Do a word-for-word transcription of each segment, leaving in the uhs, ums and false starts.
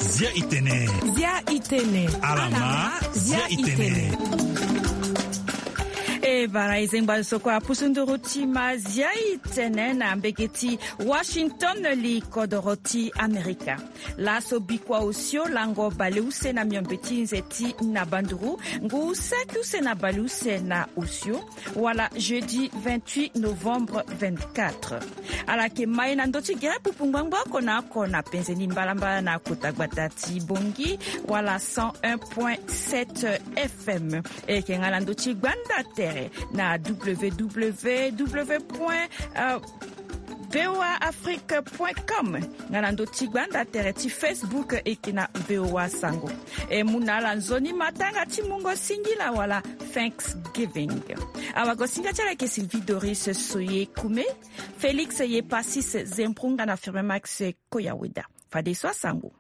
Zia itene. Zia itene. Alama, zia itene. E bara e zengba zo kue apusu nduru ti ma zia itene na mbege ti Washington li kodoro ti Amerika. Laso bikua osio lango baleuse na miombe ti nze ti na banduru ngu saki use na baleuse na osio. Wala jeudi vingt-huit novembre vingt-quatre. Ala yeke ma e na ndö ti gere pupu ngbangbo oko na oko na penze ni mbalambala na kota gbata ti Bongi wala cent un point sept F M. E yeke nga na ndö ti gbanda tere na W W W point V O A Afrique point com. Nga na ndö ti gbanda tere ti Facebook e yeke na V O A Sango. E mu na ala nzoni matanga ti mungo singila wala Thanksgiving. Awagosinga ti ala yeke Sylvie Doris Soye Kume, Félix Yepasis Zemprunga na Firme Max Koyaweda. Fadeso asango.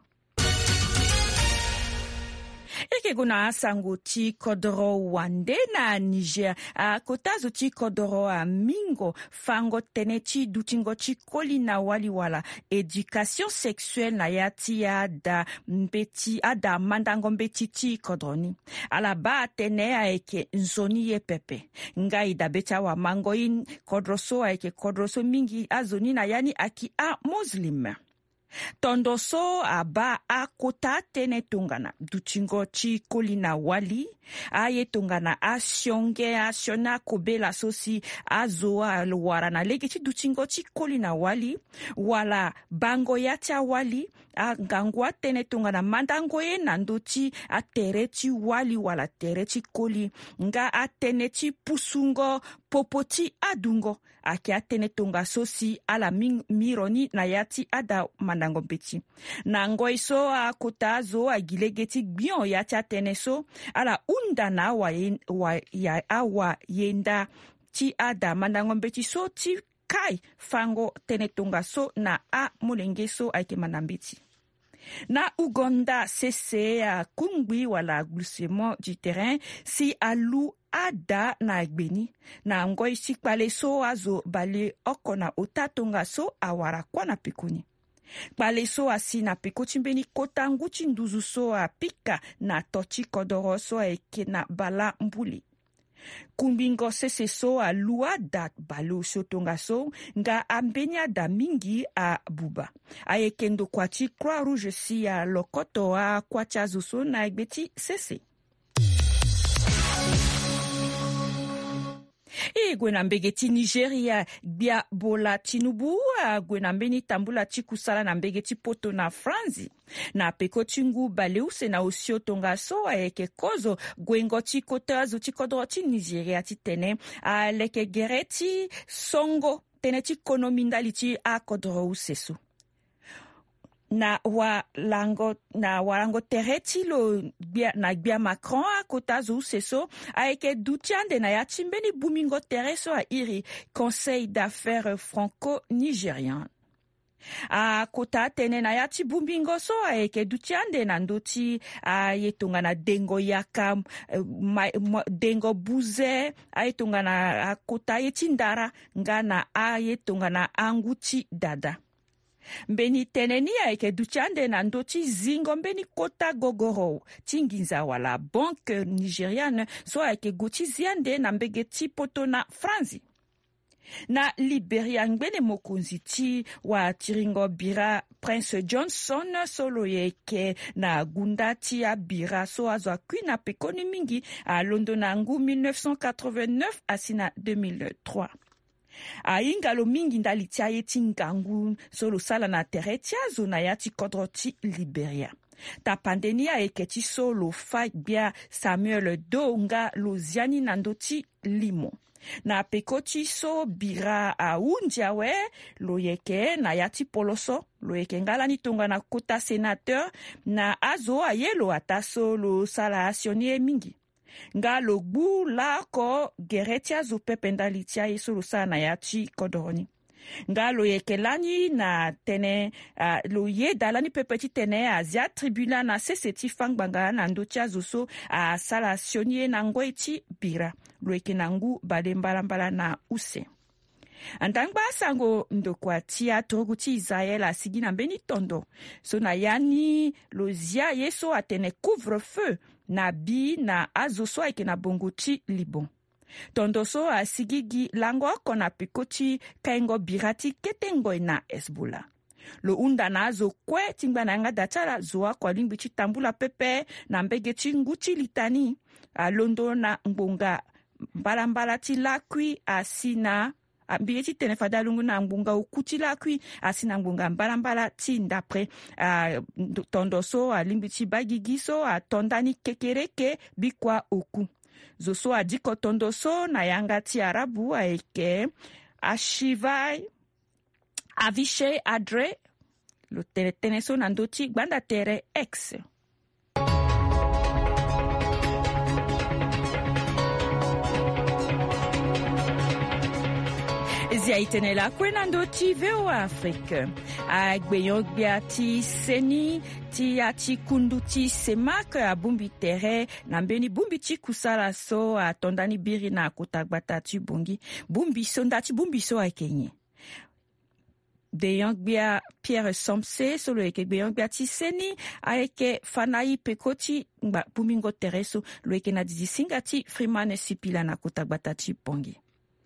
E yeke gue na asango ti kodoro wande na Niger. Akota zo ti kodoro amingo fango tënë ti dutingo ti koli na wali wala éducation sexuelle na ya ti ada mbeti, ada mandango mbeti ti kodro ni. Ala baa atene ayeke nzoni ye pepe. Nga e dabe ti awamango ye, kodro so ayeke kodro so mingi azo ni na ya ni ayeke amuslim. Tondo so abaa akota atënë tongana dutingo ti koli na wali, aye tongana asionge asioni akobela so si azo awara na lege ti dutingo ti koli na wali, wala bango ya ti awali, angangu atënë tongana mandango ye na ndö ti atere ti wali wala tere ti koli, nga atënë ti pusungo popo ti adungo. Ayeke atënë tongaso si ala mi, miro ni na ya ti ada mandango mbeti. Na ngoi so akota azo agi lege ti gbio ya ti atënë so, ala hunda na awaye, wa, ya, awayenda ti ada mandango mbeti so ti kai fango tënë tongaso na amolenge so ayeke manda mbeti. Na Ouganda sese akungbi wala glissement du terrain si alu ada na gbe ni. Na ngoi ti kpale so azo baleoko na ota tongaso awara kuâ na peko ni. Kpale so asi na peko ti mbeni kota ngu ti nduzu so apika na to ti kodoro so ayeke na bala mbuli. Kungbingo sese so alu ada baleosio tongaso nga ambeni ada mingi abuba. Ayeke ndokua ti Croix Rouge si alokoto akuâ ti azo so na gbe ti sese. E gue na mbege ti Nigeria, gbia Bola Tinubu ague na mbeni tambula ti kusala na mbege ti poto na Franzi. Na peko ti ngu baleuse na osio tongaso ayeke kozo guengo ti kota azo ti kodro ti Nigeria titene aleke gere ti songo tënë ti konomi ndali ti akodro use so. Na walango, na walango tere ti lo gbia, na gbia Macron akota azo use so ayeke duti ande na ya ti mbeni bumingo tere so airi Conseil d'affaires franco-nigérian. Akota atene na ya ti bumbingo so ayeke duti ande na ndö ti aye tongana dengo yaka, eh, ma, ma, dengo buze, aye tongana akota ye ti ndara nga na aye tongana angu ti dada. Mbeni tene ni ayeke duti ande na ndö ti zingo mbeni kota gogoro ti nginza wala Banque Nigériane so ayeke gue ti zi ande na mbege ti poto na Franzi. Na Liberia, ngbene mokonzi ti watiringo bira Prince Johnson so lo yeke na gunda ti abira so azo akui na pekoni mingi alondo na ngu mille neuf cent quatre-vingt-neuf asi na deux mille trois. Ahinga lo mingi ndali ti aye ti ngangu so lo sala na tere ti azo na ya ti kodro ti Liberia. Tapande ni ayeke ti so lo fâ gbia Samuel Doe nga lo zia ni na ndö ti limo. Na peko ti so bira ahundi awe, lo yeke na ya ti poloso, lo yeke nga lani tongana kota sénateur, na azo aye lo ataa so lo sara asioni ye mingi. Nga lo gbu laoko gere ti azo pepe ndali ti aye so lo sara na ya ti kodoro ni. Nga lo yeke lani na tene, ah, lo yeda lani pepe titene azia tribunal na sese ti fangbanga na ndö ti azo so asara sioni ye na ngoi ti bira. Lo yeke na ngu bale mbalambala na use. Andangba asango ndokua ti aturugu ti Israel asigi na mbeni tondo so na ya ni lo zia ye so atene couvre-feu na bi na azo so ayeke na bongo ti Liban. Tondo so asigi gi lango oko na peko ti kaingo bira ti kete ngoi na Hezbollah. Lo hunda na azo kue ti ngba na yanga da ti ala zo oko alingbi ti tambula pepe na mbege ti ngu ti litani. Alondo na ngbonga mbalambala ti lakui asi na, ah, mbi ye ti tene fade alongo na ngbonga oku ti lakui asi na ngbonga mbalambala ti ndapre. Ah, ndo-, tondo so alingbi ti baa gigi so ato ndani kekereke bikua oku. Zo so adiko tondo so na yanga ti arabu ayeke Ashivai Avishai Adre. Lo tene tënë so na ndö ti gbanda tere X. Zia e tene lakue na ndö ti V O A Afrique. Agbenyo-gbia ti seni ti ya ti kundu ti CEMAC abongbi tere na mbeni bongbi ti kusala so ato ndani biri na kota gbata ti Bangui. Bongbi so, nda ti bongbi so ayeke nyen? Gbenyo-gbia Pierre Somse so lo yeke gbenyo-gbia ti seni ayeke fa na i peko ti ngba bongbingo tere so. Lo yeke na didi singa ti Freeman Sipila na kota gbata ti Bangui.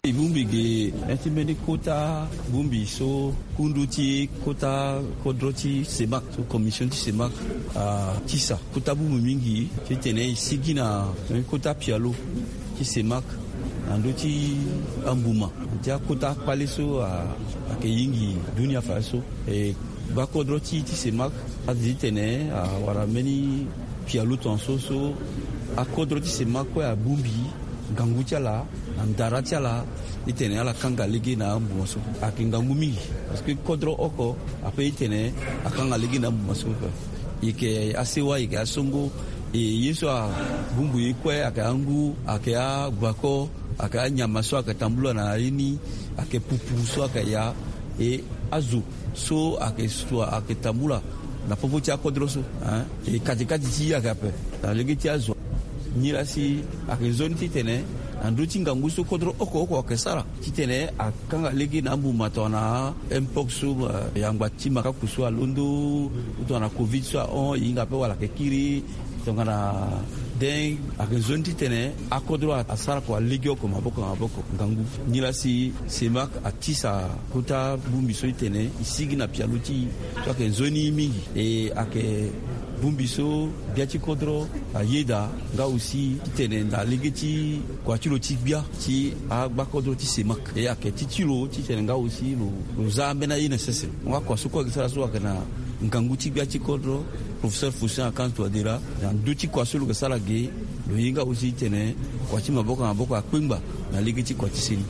E bongbi ge ya ti mbeni kota bongbi so kundu ti kota kodro ti CEMAC, so commission ti CEMAC atisa kota bongbi mingi titene e sigi na mbeni kota pialo ti CEMAC na ndö ti ambuma ti akota akpale so a, ayeke yingi dunia fadeso. E gba kodro ti, ti CEMAC adi titene awara mbeni pialo tongaso so akodro ti CEMAC kue abongbi ngangu ti ala na ndara ti ala titene ala kanga lege na ambuma so. Ayeke ngangu mingi parce que kodro oko ape titene akanga lege na ambuma so. E yeke asewa, e yeke asongo, e ye so abongbi e kue ayeke angu, ayeke agbako, ayeke anyama so ayeke tambula na ye ni, ayeke pupu so ayeke ya, e azo so ayeke so ayeke tambula na popo ti akodro so, hein. E kati kati ti e ayeke ape na lege ti azo. Nilaa si ayeke nzoni titene na ndö ti ngangu so kodro oko oko ayeke sara titene akanga lege na ambuma tongana mpox so, eh, yangba ti makaku so alondo, ou tongana covid so ahon, e hinga ape wala ayeke kiri, tongana dengue, ayeke nzoni titene akodro asara kua lege oko maboko na maboko ngangu. Nilaa si CEMAC atisa kota bongbi so titene e sigi na pialo ti e so ayeke nzoni mingi. E ayeke bongbi so gbia ti kodro ayeda nga aussi titene na lege ti kua ti lo ti gbia ti agbakodro ti CEMAC. E ayeke ti ti lo titene nga aussi lo, lo za ambeni aye na sese. Nga kua so kue ayeke sara so ayeke na ngangu ti gbia ti kodro, professeur Faustin Archange Touadéra, na ndö ti kua so lo yeke sara ge, lo ye nga aussi titene kua ti maboko na maboko akpengba na lege ti kua ti seni.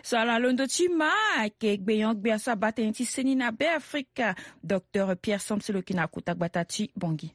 So ala londo ti ma ayeke gbenyo-gbia so abaa tënë ti seni na Be Afrika, docteur Pierre Somse lo yeke na kota gbata ti Bangui.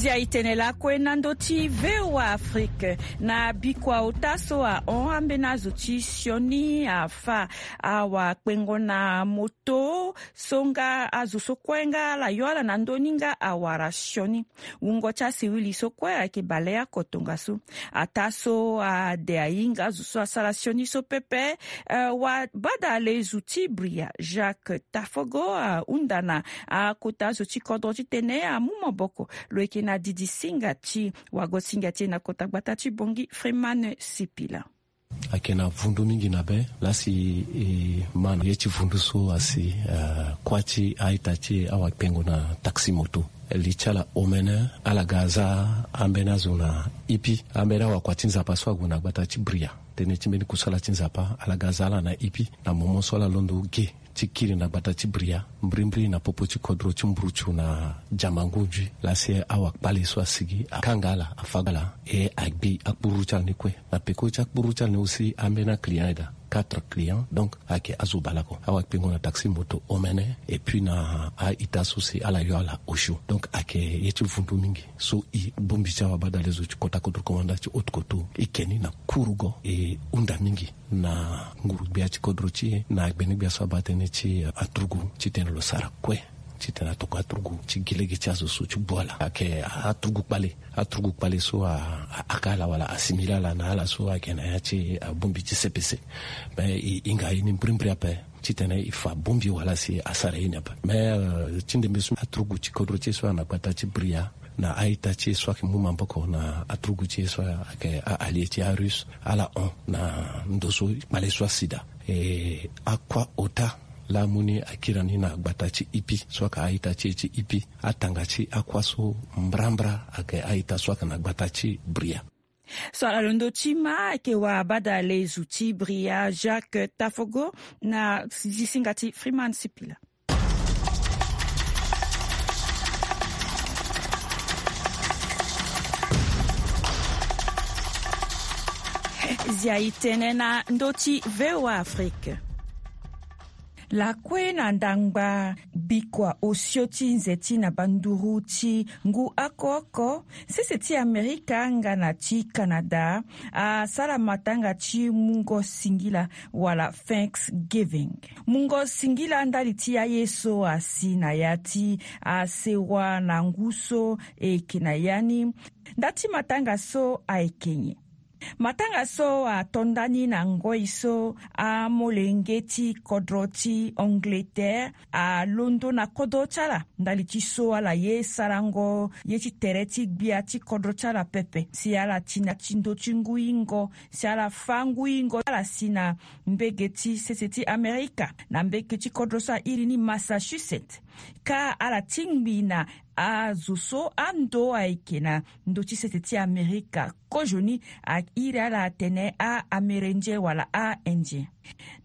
Zia e tene lakue na ndö ti V O A Afrique. Na bikua ota so ahon, ambeni azo ti sioni afa awakpengo na moto so nga azo so kue nga ala yo ala na ndö ni nga awara sioni. Wungo ti asiwili so kue ayeke baleoko tongaso. Ataa so ade ahinga azo so asara sioni so pepe, eh, wabadale zo ti Bria Jacques Tafogo ahunda na akota azo ti kodro titene amu maboko. Lo yeke na didi singa ti wago singa ti e na kota gbata ti Bangui, Freeman Sipila. Ayeke na vundu mingi na be lasi e ma na ye ti vundu so asi, eh, kuâ ti a-ita ti e awakpengo na taxi moto. Li ti ala omene, ala ga za ambeni azo na ipi, ambeni awakua ti Nzapa so ague na gbata ti Bria. Tënë ti mbeni kusala ti Nzapa, ala ga za ala na ipi na momo so ala londo ge ti kiri na gbata ti Bria, mbrimbri na popo ti kodro ti Mburutu na Diamangundji, lasi awakpale so asigi akanga ala, afa ala, e agbi akpururu ti ala ni kue. Na peko ti akpururu ti ala ni aussi, ambeni aclient ayeda. quatre clients. Donc ayeke azo baleoko, awakpengo na taxi moto omene, et puis na a-ita so si ala yo ala osio. Donc ayeke ye ti vundu mingi. So e bongbi ti awabadale zo ti kota kodro komanda ti haute koto, e ke ni na kurugo, e hunda mingi na nguru-gbia ti kodro ti e, na agbeni-gbia so abaa tënë ti aturugu titene lo sara kue titene atokua aturugu ti gi lege ti azo so ti bu ala. Ayeke aturugu kpale, aturugu kpale so a, a, aka ala wala asimile ala na ala so ayeke na ya ti abongbi ti C P C. Me e hinga ye ni mbirimbiri ape titene e fa bongbi wala si asara ye ni ape. Me ti ndembe so aturugu ti kodro ti e so ana gbata ti Bria, na a-ita ti e so ayeke mu maboko na aturugu ti e so ayeke a-allié ti a-Russe, ala hon na ndo so kpale so asi daa. E akua ota laa amu ni akiri ni na gbata ti Ipi so ayeke a-ita ti e ti Ipi. Atanga ti akua so mbrambra ayeke a-ita so ayeke na gbata ti Bria. So ala londo ti ma ayeke wabadale zo ti Bria, Jacques Tafogo, na zisinga ti Freeman Sipila. Zia e tene na ndö ti V O A Afrique. Lakue na ndangba bikua osio ti nze ti na banduru ti ngu oko oko, sese ti Amerika nga na ti Canada asara matanga ti mungo singila wala Thanksgiving. Mungo singila ndali ti aye so asi na ya ti asewa na ngu so e yeke na ya ni. Nda ti matanga so ayeke nyen? Matanga so ato nda ni na ngoi so amolenge ti kodro ti Angleterre alondo na kodro ti ala ndali ti so ala ye sarango ye ti tere ti gbia ti kodro ti ala pepe, si ala ti na ti ndö ti ngu ingo, si ala fâ ngu ingo ti ala si na mbege ti sese ti Amerika, na mbege ti kodro so airi ni Massachusetts. Ka ala tingbi na azo so ando ayeke na ndö ti sese ti Amerika kozoni airi ala atene a-Amérindien wala a-Indien.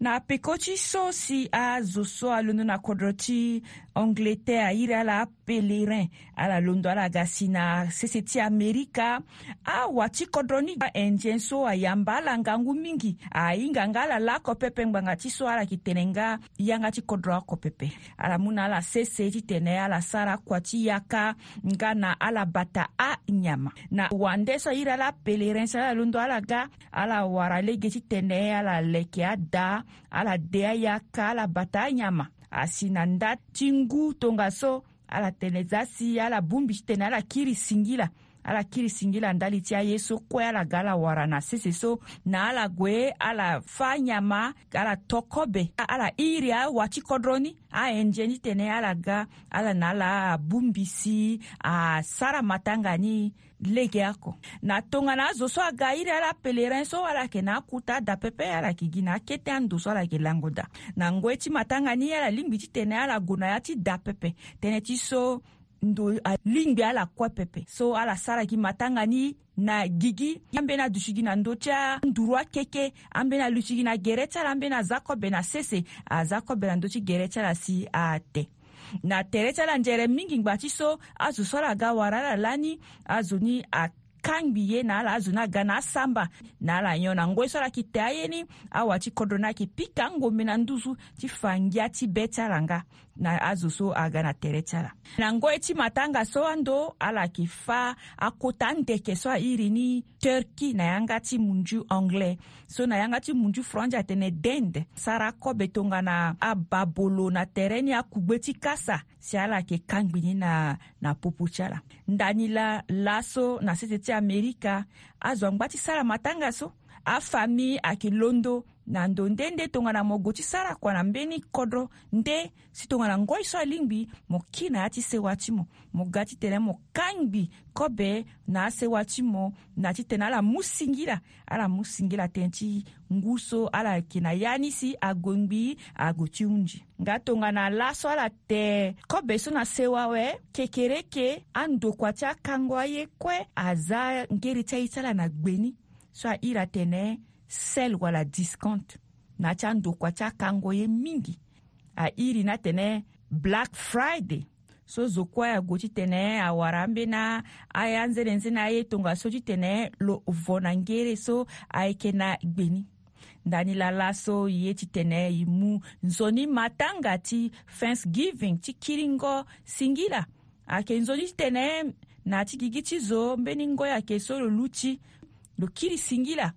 Na peko ti so si azo so alondo na kodro ti Angleterre airi ala apèlerin, ala londo ala ga si na sese ti Amerika, awa ti kodro ni a-Indien so ayamba ala ngangu mingi, ahinga nga ala laoko pepe ngbanga ti so ala yeke tene nga yanga ti kodro oko pepe. Ala mu na ala sese titene ala sara kua ti yaka nga na ala bata anyama. Na wande so airi ala apèlerin so ala londo ala ga, ala wara lege titene ala leke ada, ala de ayaka, ala bata anyama. Asi na nda ti ngu tongaso, ala tene za si ala bongbi titene ala kiri singila. Ala kiri singila ndali ti aye so kue ala ga ala wara na sese so, na ala gue ala fâ nyama, ala to kobe, ala iri awa ti kodro ni a-Indien titene ala ga ala na ala bongbi si asara matanga ni lege oko. Na tongana azo so aga iri ala apèlerin so, ala yeke na akota da pepe, ala yeke gi na akete ando so ala yeke lango daa. Na ngoi ti matanga ni ala lingbi titene ala gue na ya ti da pepe, tënë ti so ndo alingbi ala kue pepe. So ala sara gi matanga ni na gigi, ambeni aduti gi na ndö ti anduru akeke, ambeni aluti gi na gere ti ala, ambeni aza kobe na sese, aza kobe na ndö ti gere ti ala si ate. Na tere ti ala nzere mingi ngbanga ti so azo so ala ga wara ala lani, azo ni akangbi ye na ala, azo ni aga na asamba na ala nyon. Na ngoi so ala yeke te aye ni, awa ti kodro ni ayeke pika angombe na nduzu ti fa ngia ti be ti ala nga na azo so aga na tere ti ala. Na ngoi ti matanga so ando ala yeke fâ akota andeke so airi ni turkey na yanga ti munzu anglais. So na yanga ti munzu franzi atene dinde. Sara kobe tongana ababolo na tere ni akugbe ti kasa, si ala yeke kangbi ni na, na popo ti ala. Ndani laa, laso na sese ti Amerika, azo angba ti sara matanga so. Afamille ayeke londo na ndo nde nde tongana mo gue ti sara kua na mbeni kodro nde, si tongana ngoi so alingbi, mo kiri na ya ti sewa ti mo, mo ga titene mo kangbi kobe na asewa ti mo, na titene ala mu singila, ala mu singila tënë ti ngu so ala yeke na ya ni si ague ngbii ague ti hunzi. Nga tongana laso ala te kobe so na sewa awe, kekereke andokua ti akango aye kue aza ngere ti aye ti ala na gbe ni. So airi atene sel wala discount na ya ti andokua ti akango ye mingi. Airi ni atene Black Friday. So zo kue ague titene awara ambeni a, aya nzene nzene aye tongaso titene lo vo na ngere so ayeke na gbe ni. Ndani laa laso e ye titene e mu nzoni matanga ti Thanksgiving, ti kiringo singila. Ayeke nzoni titene na ya ti gigi ti zo mbeni ngoi ayeke so lo luti, lo kiri singila.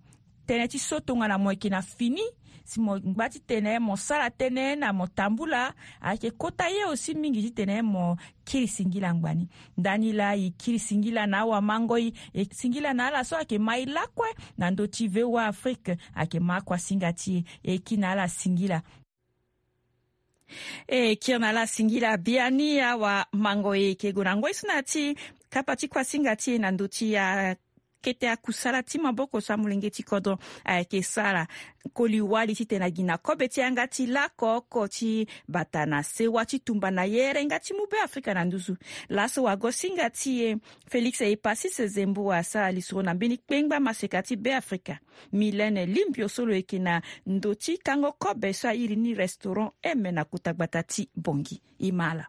Tënë ti so tongana mo yeke na fini, si mo ngba titene mo sara tënë na mo tambula, ayeke kota ye aussi mingi titene mo kiri singila ngbani. Ndani laa e kiri singila na awamangoi, e singila na ala so ayeke ma e lakue na ndö ti V O A Afrique, ayeke ma akuasinga ti e, e kiri na ala singila. E kiri na ala singila biani. Awamangoi, e yeke gue na ngoi so na ya ti kapa ti kuasinga ti e na ndö ti a kete akusala ti maboko so amolenge ti kodro ayeke sara. Koli wali titene a gi na kobe ti yanga ti lako oko ti bata na sewa ti tumba na yere nga ti mu Beafrika na nduzu. Laso wagosinga ti e Félix Epasis Zembo asara lisoro na mbeni kpengba maseka ti Beafrika, Mylène Limbio, so lo yeke na ndö ti kango kobe so a iri ni restaurant M na kota gbata ti Bangui. E ma ala.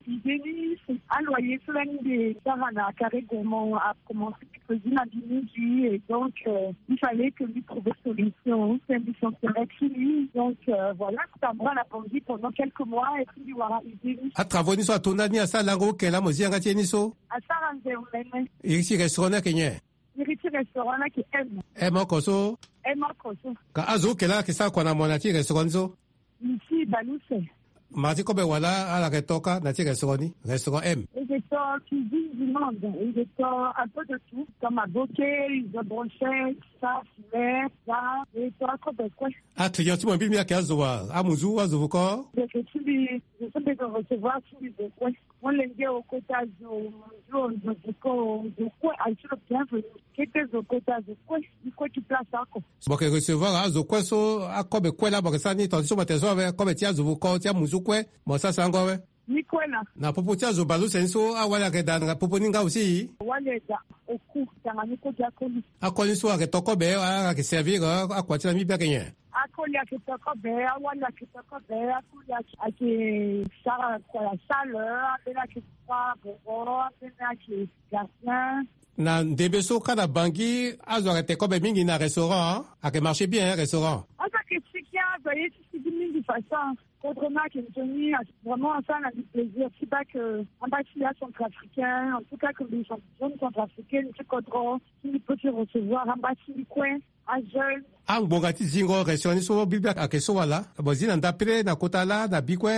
Idée ni, aloyer so lani mbi sara na Carré Gourmand a commencé ti cuisine na mbi mingi, et donc, euh, il fallait que mbi trouve solution, c'est mbi sentir ti mbi. Donc, euh, voilà, tambula na Bangui pendant quelques mois, et puis mbi wara idée ni. Atravaux ni so ato ndani asara lango oke laa mo zi yanga ti ye ni so? Asara nze omene. Iri ti restaurant ni ayeke nyen? Iri ti restaurant ni ayeke M. M oko so? M oko so. Ka azo oke laa ayeke sara kua na mo na ya ti restaurant ni so? Ici, Baluse. Mara ti kobe wala ala yeke to kâ na ti restaurant ni, restaurant M? E yeke to cuisine du monde, e yeke to un peu de tout, comme aboke, izo, brochette, ça, filet, ça, e to akobe kue. Aclient ti mo mbirimbiri ayeke azo wa, amuzu, azo vuko? Ndeke ti mbi, zo so mbi yeke recevoir ti mbi zo kue. Molenge o, kota zo, muzu o, zo vuko o, zo kue aye ti lo bienvenu. Kete zo, kota zo kue, e kue ti place oko. Mo yeke recevoir azo kue so, akobe kue laa mo yeke sara ni, tonga ti so mo yeke zo awe, kobe ti azo vuko, ti amuzu kue, mo sara sango awe? Ni kue laa. Na popo ti azo baleuse ni so, awali ayeke daa na popo ni nga aussi? Wali ayeke daa, oku, tanga ni kue ti akoli. Akoli so ayeke to kobe, a, ayeke servir, a, akua ti laa mbi bia ayeke nyen? Akoli ayeke to kobe, awali ayeke to kobe, akoli ayeke, ayeke sara kua ya salle, ambeni ayeke kua boro, ambeni ayeke gardien. Na ndembe so kâ na Bangui, azo ayeke te kobe mingi na restaurant, ayeke marché bien, hein, restaurant? Azo ayeke sigi, azo aye ti sigi mingi façon. Kodro ni ayeke nzoni, vraiment asara na mbi plaisir ti baa que amba ti mbi acentrafricain, en tout cas que mbi jeune centrafricaine ti kodro, si mbi peut ti recevoir amba ti mbi kue, ajeune. Angbonga ti zingo restaurant ni so, mbi bia ayeke so wala? Mo zi na ndapre na kota laa na bi kue?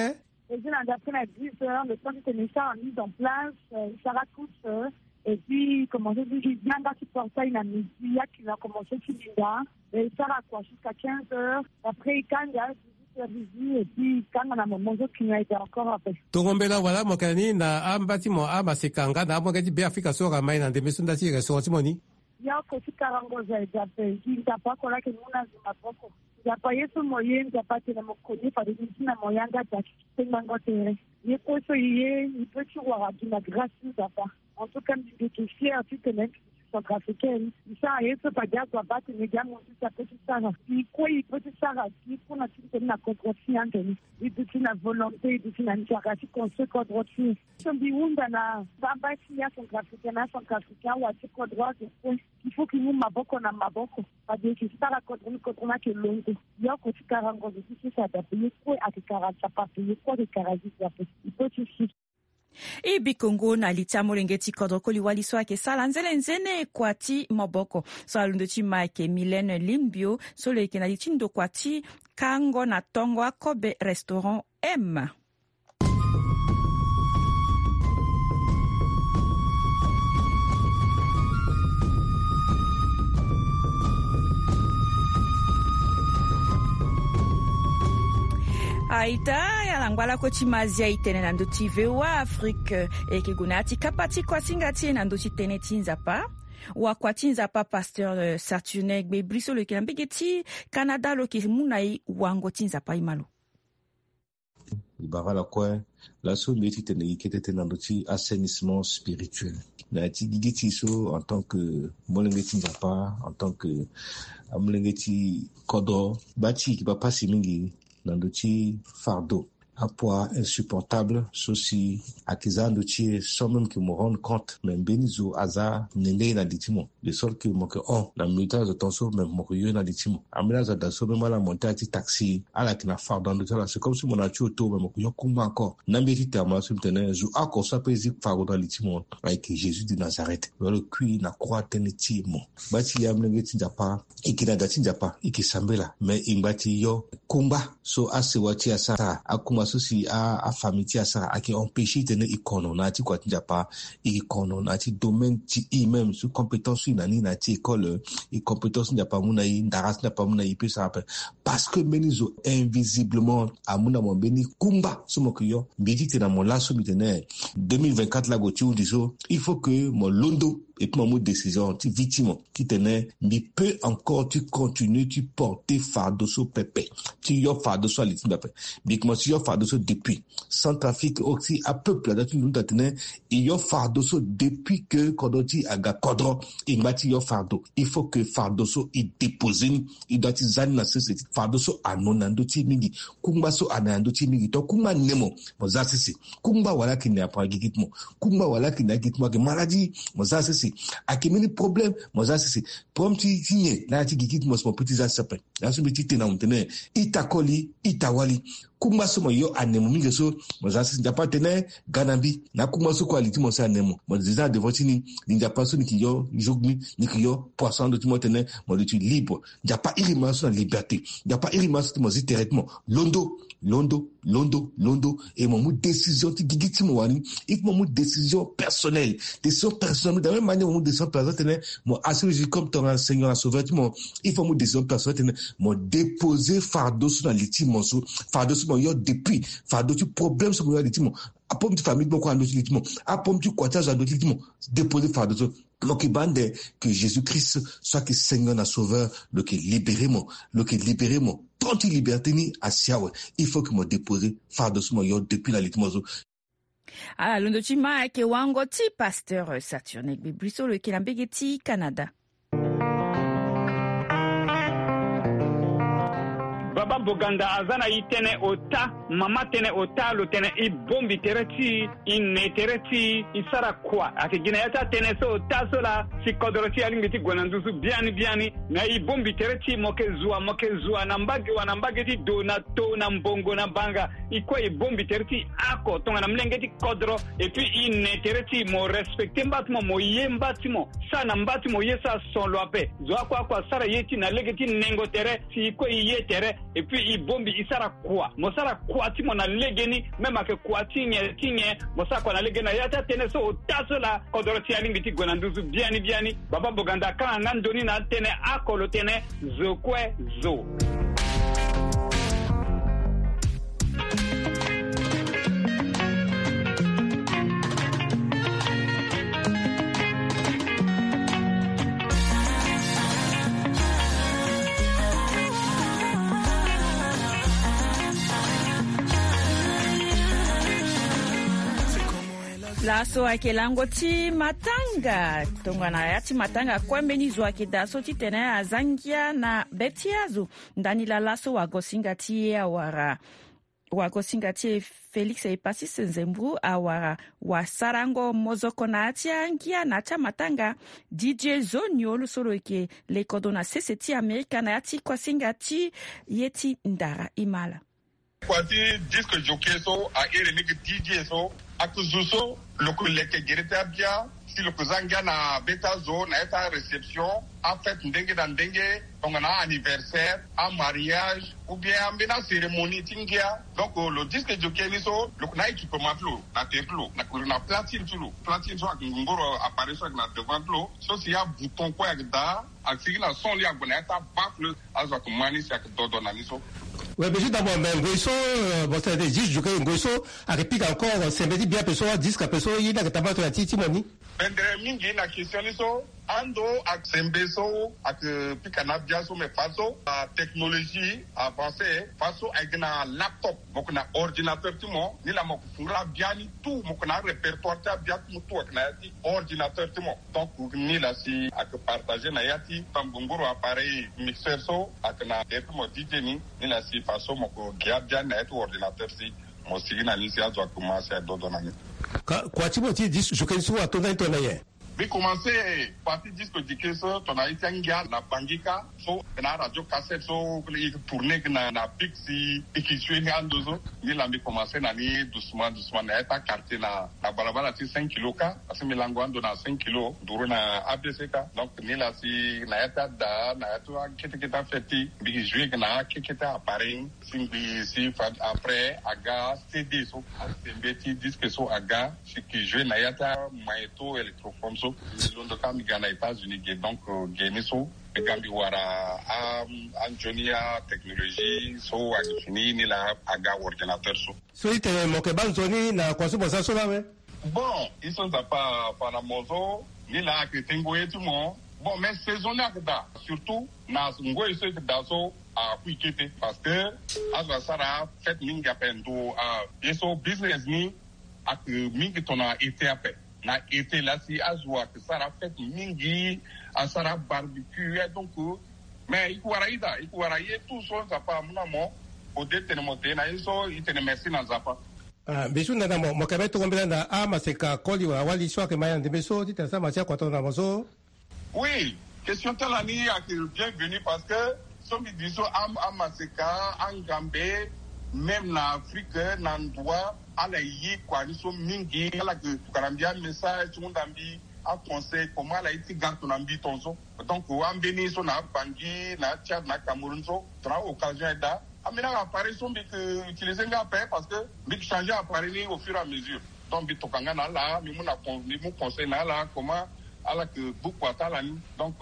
E zi na ndapre na dix heures, le temps titene e sara mise en place, euh, e sara tous, euh, et puis commencer ti yanga ti portail na midi, ya client commencer ti linda, e sara kua jusqu'à quinze heures, après e kanga, dix-huit heures, et puis e kanga na moment so client ayeke encore ape. Tongo mbela wala mo yeke na ni na amba ti mo amaseka nga na amolenge ti Beafrika so ayeke mai na ndembe so nda ti restaurant ti mo ni? Ye oko ti karango zo aye daa ape, gi Nzapa oko laa ayeke mu na zo maboko. Nzapa ye so mo ye, Nzapa atene mo koni, fade ni ti na mo yanga daa ti kpengbango tere. Ye kue so e ye, e peut ti wara gi na grâce ti Nzapa. En tout cas, mbi, mbi yeke fière titene mbi centrafricaine. E sara ye so fade azo abaa atene gi amuzu ti ape ti sara. E kue e peut ti sara gi kue na ti tene na kodro ti e ande ni. E duti na volonté, e duti na nzara ti construire kodro ti e. So mbi hunda na amba ti acentrafricain na acentrafricain, awa ti kodro azo kue. Il faut que e mu maboko na maboko. Fade e yeke sara kodro ni, kodro ni ayeke longo. Ye oko ti karango zo ti sese adape, ye kue ayeke kara Nzapa ape, ye kue ayeke kara Jésus ape. E peut ti si. E bi kongo na li ti amolenge ti kodro koli wali so ayeke sara nzene nzene kua ti maboko. So alondo ti ma ayeke Mylène Limbio, so lo yeke na li ti ndokua ti kango na tongo akobe restaurant M. Aita, ya na ngbalako ti Mazia e tene na ndö ti V O A Afrique, e yeke gue na ya ti kapa ti kuasinga ti e na ndö ti tënë ti Nzapa. Wakua ti Nzapa, pasteur, euh, Saturnin Gbebri so lo yeke na mbege ti Canada, lo yeke mu na e wango ti Nzapa. E ma lo. E bara ala kue, laso mbi ye titene e kete tënë na ndö ti assainissement spirituel. Na ya ti gigi ti e so, en tant que molenge ti Nzapa, en tant que amolenge ti kodro, baa ti e yeke baa pasi mingi na ndö ti fardeau. apoids insupportable so si ayeke za ando ti e sans même ke mo rendre compte, mais mbeni zo aza nene na li ti mo, de sorte ke mo yeke hon na milieu ti azo tongaso, mais mo yeke yo na li ti mo. Ambeni azo ada so même ala monte ala ti taxi, ala yeke na fardeau na ndo ti ala, c'est comme si mo na ti auto, mais mo yeke yo kungba encore. Na mbi ye ti tene mo laso mbi tene zo oko so ape zi fardeau na li ti mo, ayeke Jésus de Nazareth. Lo yeke kui na croix tënë ti mo. Ngba ti e amolenge ti Nzapa, e yeke na da ti Nzapa, e yeke sambela, mais e ngba ti yo kungba so asewa ti e asara, akungba so si a, afamille ti e asara, ayeke empêcher titene e kono na ya ti kua ti Nzapa, e kono na ya ti domaine ti e même, so compétence so e na ni na ya ti école, e compétence so Nzapa amu na e, ndara so Nzapa amu na e, e peut sara ape. Parce que mbeni zo invisiblement amu na mo mbeni kungba so mo yeke yo. Mbi ye ti tene na mo laso mbi tene deux mille vingt-quatre la ague ti hunzi so, il faut que mo londo et puis mo mu décision ti vie ti mo, titene mbi peut encore ti continuer ti porter fardeau so pepe, ti yo fardeau so na li ti mbi ape. Mbi yeke mo ti yo fardeau so depuis Centrafrique aussi, apeuple aza ti londo atene e yo fardeau so depuis que kodro ti e aga kodro, e ngba ti yo fardeau. Il faut que fardeau so e déposer ni, e doit ti za ni na sese. Fardeau so anono na ndö ti e mingi. Kungba so anono na ndö ti e mingi. Donc kungba ne mo, mo za sese. Kungba wala ayeke ne apo na gigi ti mo. Kungba wala ayeke ne na gigi ti mo, ayeke maladie, mo za sese. Ayeke mbeni problème, mo za sese. Problème ti, ti nyen na ya ti gigi ti mo, si mo peut ti za sese ape. Laso mbi ye ti tene na mo tene, ita koli, ita wali. Kungba so mo yo ane mo mingi so, mo za sese. Nzapa atene, ga na mbi. Na akungba so kue ali ti mo so ane mo, mo déjà na devant ti ni. Ni Nzapa so ni yeke yo jour ni, ni yeke yo poisson na ndo ti mo, tene mo duti libre. Nzapa iri mo laso na liberté. Nzapa iri mo laso ti mo zi tere ti mo. Londo, londo, londo, londo. Et mo mu décision ti gigi ti mo wani. Il faut mo mu décision personnelle. Décision personnelle. De la même manière mo mu décision personnelle tene mo assurer Jésus comme ton Seigneur et Sauveur ti mo, il faut mo mu décision personnelle tene mo déposer fardeau so na li ti mo so. Fardeau so mo yo depuis. Fardeau ti problème so mo yo na li ti mo. Apomo ti famille ti mo kue na ndö ti li ti mo. Apomo ti kua ti azo na ndö ti li ti mo. Déposer fardeau so. Lo yeke baa ande que Jésus Christ so ayeke Seigneur na Sauveur, lo yeke libérer mo. Lo yeke libérer mo. Temps ti liberté ni asi awe. Il faut que mo déposer fardeau so mo yo depuis na li ti mo so. Ala londo ti ma ayeke wango ti pasteur Saturne Gbebri so lo yeke na mbege ti Canada. Baba Boganda aza na e tënë ota, mama tënë ota, lo tene e bongbi tere ti e, e ne tere ti e, e sara kua. Ayeke gi na ya ti atënë so ota so laa si kodro ti e alingbi ti gue na nduzu biani biani. Me e bongbi tere ti e, mo yeke zua, mo yeke zua na mbage wa, na mbage ti do, na to, na mbongo, na banga. E kue e bongbi tere ti e oko tongana molenge ti kodro. Et puis e ne tere ti e, mo respecter mba ti mo, mo ye mba ti mo. Sara na mba ti mo ye so ason lo ape. Zo oko oko asara ye ti e na lege ti nengo tere, si e kue e ye tere. Et puis e bongbi e sara kua. Mo sara kua ti mo na legeni, même ayeke kua ti nyen ti nyen, mo sara kua na legeni. Na ya ti atënë so ota so laa kodro ti e alingbi ti gue na nduzu biani biani. Baba Boganda akanga nga ndoni na atënë oko, lo tene zo kue zo. Laso ayeke lango ti matanga. Tongana ya ti matanga kue mbeni zo ayeke daa so titene aza ngia na be ti azo. Ndani laa laso wagosinga ti e awara, wagosinga ti e Félix Epasis Nzembou awara wasarango mozoko na ya ti angia na ya ti amatanga. Didier Zoniolo so lo yeke lekodo na sese ti Amerika na ya ti kuasinga ti ye ti ndara imala. Kua ti disque jockey so a iri ni gi D J so, a ku zu so lo ku leke gere ti abia, si lo ku za ngia na be ti azo na ya ti aréception, afête ndenge na ndenge, tongana anniversaire, amariage, ou bien ambeni acérémonie ti ngia. Donc lo disque jockey ni so lo ku na équipement ti lo na tere ti lo, na ku na platine ti lo. Platine so ayeke ngongoro appareil so ayeke na devant ti lo, so si abouton kue ayeke daa. Asigi na son li ague na ya ti abaffle, azo ayeke mu ani si ayeke dodo na ni so. Ouais, mais juste d'abord, mais ngoi so, euh, bon, c'est-à-dire, juste jockey ngoi so ayeke pika encore, euh, sembe ti bia ape so, disque ape so, ye ni ayeke tambula tongana ti, ti mo ni? Bendere mingi na question ni so. Ando ayeke sembe so ayeke pika na abia so, mais faso, euh, technologie avancée, faso ayeke na laptop, mo yeke na ordinateur ti mo, ni laa mo yeke fungula abia ni tout, mo yeke na arépertoire ti abia ti mo tout ayeke na ya ti ordinateur ti mo. Donc ni laa si ayeke partager na ya ti tambongoro appareil mixeur so ayeke na tere ti mo D J ni, ni laa si faso mo yeke gi abia ni na ya ti ordinateur si. Mo sigi na ni si azo akomanse adodo na ni. Ka kua ti mo ti disque jockey so atonda ni tongana nyen? Mbi komanse parti disque jockey so tongana ye ti angia na Bangi kâ. So na aradio cassette so e tourne na na big si e ke joue ni ando so. Ni laa mbi komanse na ni doucement doucement na ya ti quartier na na balabala ti cinq kilo kâ. Parce que mbi lango ando na cinq kilo nduru na A B C kâ. Donc ni laa si na ya ti ada na ya ti akete kete afête ti mbi ke joue na akete kete appareil. Si ngbii si fa après aga C D so, asembe ti disque so aga, si ke joue na ya ti amagnéto électrophone so. Mbi londo kâ mbi ga na États-Unis ge, donc ge ni so mbi ga mbi wara a anzoni atechnologie so ayeke fini ni laa aga ordinateur so. So itene mo yeke baa nzoni na kua so mo sara so laa awe? Bon, ye so Nzapa afa na mo so, ni laa ayeke tengo ye ti mo. Bon, mais saison ni ayeke daa, surtout na ngoi so e yeke daa so, akui kete parce que azo asara fête mingi ape ndo a ye so business ni ayeke mingi tongana été ape. Na été laa si azo ayeke sara fête mingi, asara barbecue ya donc. Mais e ke wara ida, e ke wara ye tout so Nzapa amu na mo. Ode tene mo te na ye so e tene merci na Nzapa. Ah, mbi su nda na mo, mo yeke mbeni tongo mbela na amaseka koli wala wali so ayeke ma ya na ndembe so titene asara ma si akua tongana mo so. Oui, question ti ala ni ayeke bienvenu parce que so mbi di so am amaseka angambe, même na Afrique na ndua ala ye kua ni so mingi. Ala yeke tokana mbi amessage ti hunda mbi aconseil comment ala ye ti ga tongana mbi ton so. Donc ambeni so na Bangui na Tchad na Cameroun so tongana occasion aye daa. Ambeni appareil so mbi ke utiliser nga ape parce que mbi ke changer appareil ni au fur et à mesure. Donc mbi toka nga na ala, mbi mu na con mbi mu conseil na ala comment ala ke gbu kua ti ala ni. Donc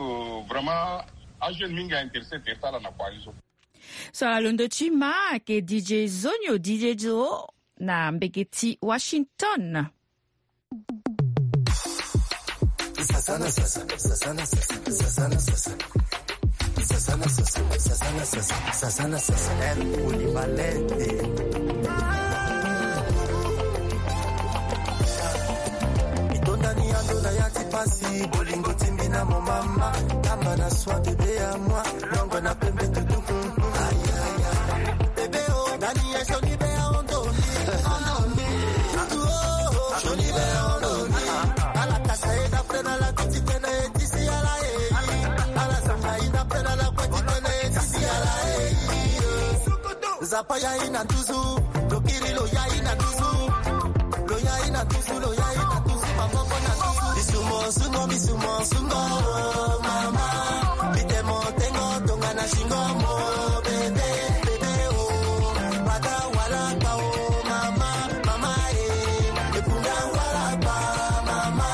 vraiment ajeune mingi a intéresser tere ti ala na kua ni so. So alondo ti ma ayeke D J Zonio, D J Zo na mbege ti Washington. Sasana sasa, sasana sasa, sasana sasa. Sasana sasa, sasana sasa, sasana sasa. El Koulibaly. Itondani ando na ya ti pasi, bolingo timbi na mo mama, tamba na soi bébé à moi, longo na pembe tutu. Bébé oh, dani ya joli bé à ondo. Ala kasa ye da pena la koti pena ye tisi ala ye. Ala sanga ye da pena la koti pena ye tisi ala ye. Nzapa ya ina tuzu, lokiri lo ya ina tuzu. Lo ya ina tuzu, lo ya ina tuzu, maboko na tuzu. Bisumo sumo, bisumo sumo, oh mama. Bitemo tengo tonga na shingo mo, bébé, bébé, oh. Bata wala pa, oh mama, mama, eh. Ekunda wala pa, mama.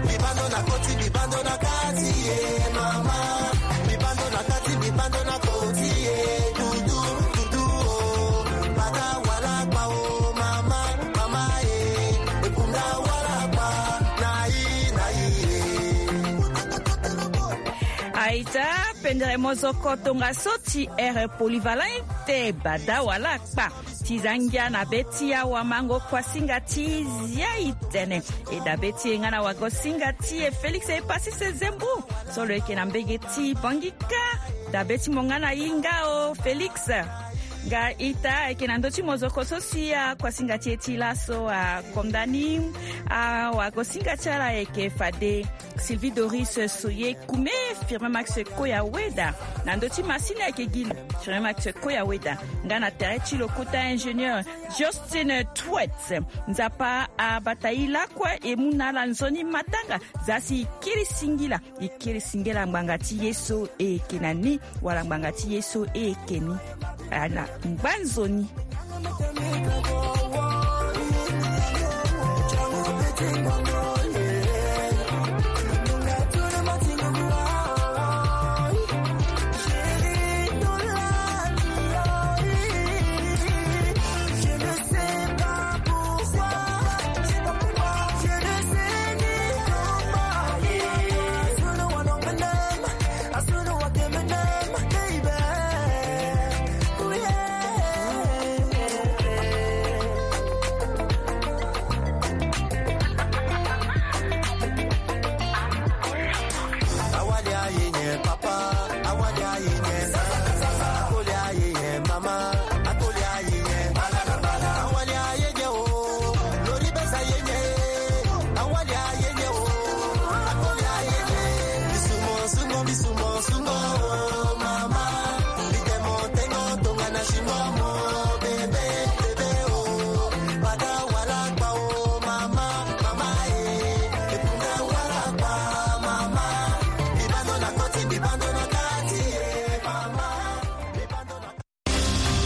Bibando na koti, bibando na kati, eh, mama. Bibando na kati, bibando na koti, eh, tutu, tutu, oh. Bata wala pa, oh mama, mama, eh. Ekunda wala pa, na i, na i, eh. Aita, pendere mozoko tongaso ti ere polyvalent te, bada wala kpa. Ti za ngia na be ti awamango kuasinga ti zia itene. E dabe ti e nga na wagosinga ti e Félix e pasi se zembu. So lo yeke na mbege ti Bangui kâ. Dabe ti mo nga na hinga o Félix. Nga ita ayeke na ndö ti mozoko so si akuasinga ti e ti laso akonda ni. Awagosinga ti ala ayeke fade Sylvie Doris Soye Koumé, Firmin Max Koya Weda. Na ndö ti masini ayeke gi Firmin Max Koya Weda. Nga na tere ti lo kota ingénieur Justin Twet. Nzapa abata e lakue e mu na ala nzoni matanga. Za si e kiri singila, e kiri singila ngbanga ti ye so e yeke na ni wala ngbanga ti ye so e yeke ni. Ala ngba nzoni.